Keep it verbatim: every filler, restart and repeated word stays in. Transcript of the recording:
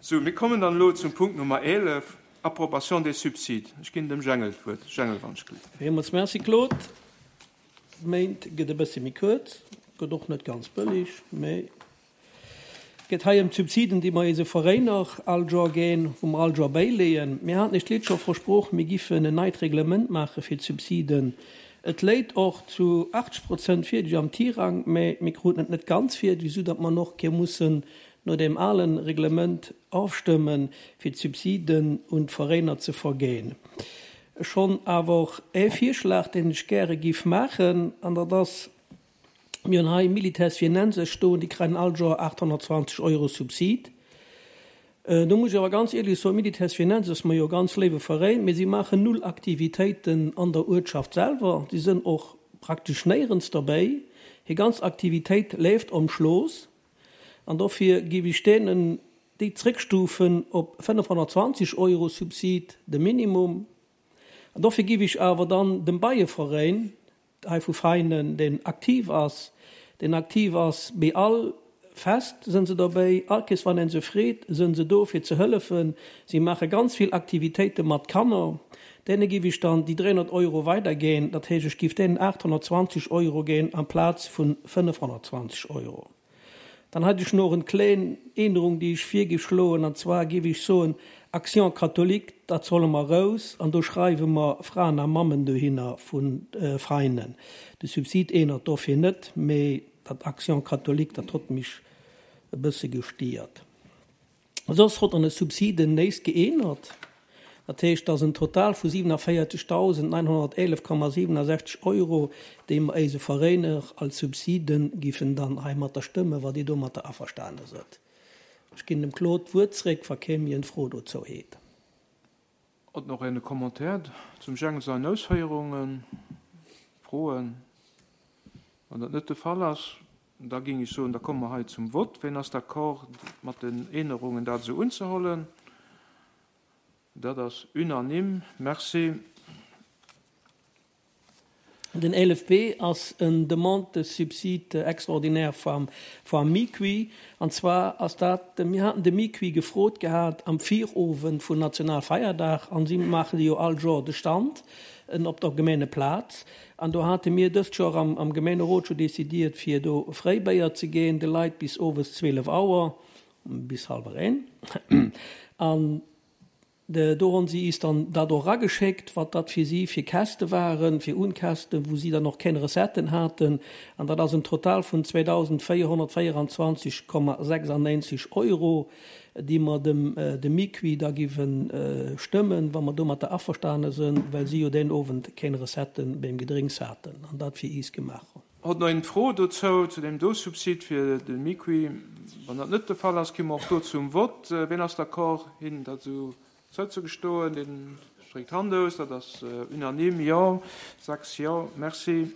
Sou, mir kommen dann elo zum Punkt Nummer eelef, Approbation des subsides. Ech ginn dem Jengel d'Wuert. Jengel, wann ech gelift. Villmools Merci, Claude. Méint gëtt e bësse méi kuerz, gëtt och net ganz bëlleg, mä geet hei ëm d'Subsiden, déi mer eise Veräiner all Joer ginn, wou mer all Joer bäileeën. Mir haten iech d'lescht Joer versproch, mir giffen en neit Reglement maache fir d'Subsiden. Et léit och zu achtzeg Prozent fierdeg am Tirang, mä mir kruten et net ganz fierdeg, soudatt mer och ke mussen no deem alen Reglement ofstëmmen, fir d'Subsiden un d'Veräiner ze verginn. Ech hunn awer och ee Virschlag, deen ech gäre giff maachen, an dat ass, mir hunn hei Militaires Viennenses stoen, déi kréien all Joer achthonnertzwanzeg Euro Subsid. Do muss ech awer ganz éierlech soen, Militaires Viennenses ass mer jo e ganz léiwe Veräin, mee si maachen null Aktivitéiten an der Uertschaft selwer. Si sënn och praktesch néierens derbäi. Hir ganz Aktivitéit leeft om Schlooss. An dofir giff ech deenen déi zréckstufen op fënnefhonnertzwanzeg Euro Subsid, de Minimum. An dofir giff ech awer dann dem Beieveräin hei vu Veinen, deen aktiv ass, deen aktiv ass bei all Fest sënn se derbäi, all Kees wann een se freet, sënn se do fir ze hëllefen. Si maache ganz vill Aktivitéite mat Kanner. Deene giff ech dann déi dräihonnert Euro weiderginn, dat heescht ech giff deenen achthonnertzwanzeg Euro ginn amplaz vu fënnefhonnertzwanzeg Euro. Dann hätt ech noch en kléin Ännerung, déi ech virgeschloen, an zwar giff ech soen, Action catholique, dat solle mer raus, an do schreiwe mer Fraen a Mammen dohinner vu Veinen. De Subsid ännert dofir net, mee dat Action catholique, dat hott mech e bësse gestiert. Soss hott an de Subsiden näischt geännert. Dat heescht, dass en Total vu siewenundvierzigtausendneunhundertelf Komma siebenundsechzig Euro, déi mer eise Veräiner als Subsiden giffen dann heimatter stëmmen, wa Dir domatter averstane sënnt. Ech ginn dem Claude d'Wuert zréck, wa kee méi eng Fro dozou huet. Huet nach een e Commentaire zum Jengel seinen Ausféierungen? Froen? Wann dat net de Fall ass, da ging ech soen, da komme mer hei zum Vott. Wien ass d'accord mat den Ännerungen, dat esou unzehollen? Dat ass unanime. Merci. Den eelef B ass en Demande de subside extraordinaire vam, vam MICUI. An zwar ass dat, mir haten de MICUI gefrot gehat am Virowend vun Nationalfeierdag, an si maache jo all Joer de Stand op der Gemeengeplaz. An do hate mir dëst Joer am, am Gemeengerot scho decidiert, fir do Fréibéier ze ginn, de Leit bis owes zwielef Auer, bis halwer een. An de, do hunn si is dann dat och rageschéckt, wat dat fir si fir Käste waren, fir Unkästen, wou si dann och keng Recetten haten. An dat ass en Total vun zweedausendvéierhonnertvéierundzwanzeg Komma sechsundneunzig Euro, déi mer dem, äh, dem MICUI da giffen, äh, stëmmen, wa mer domatter averstane sinn, well si jo den Owend keng Recetten beim Gedrénks haten an dat fir is gemaach hunn. Huet nach een Fro dozou, zu dem do Subsid fir de MICUI? Wann dat net de Fall ass, komme mer och do zum Vott. Äh, wien ass d'accord, hin dat esou zouzegestoen? Den streckt d'Hand aus, dat ass, äh, unanime, jo, sechs jo, merci.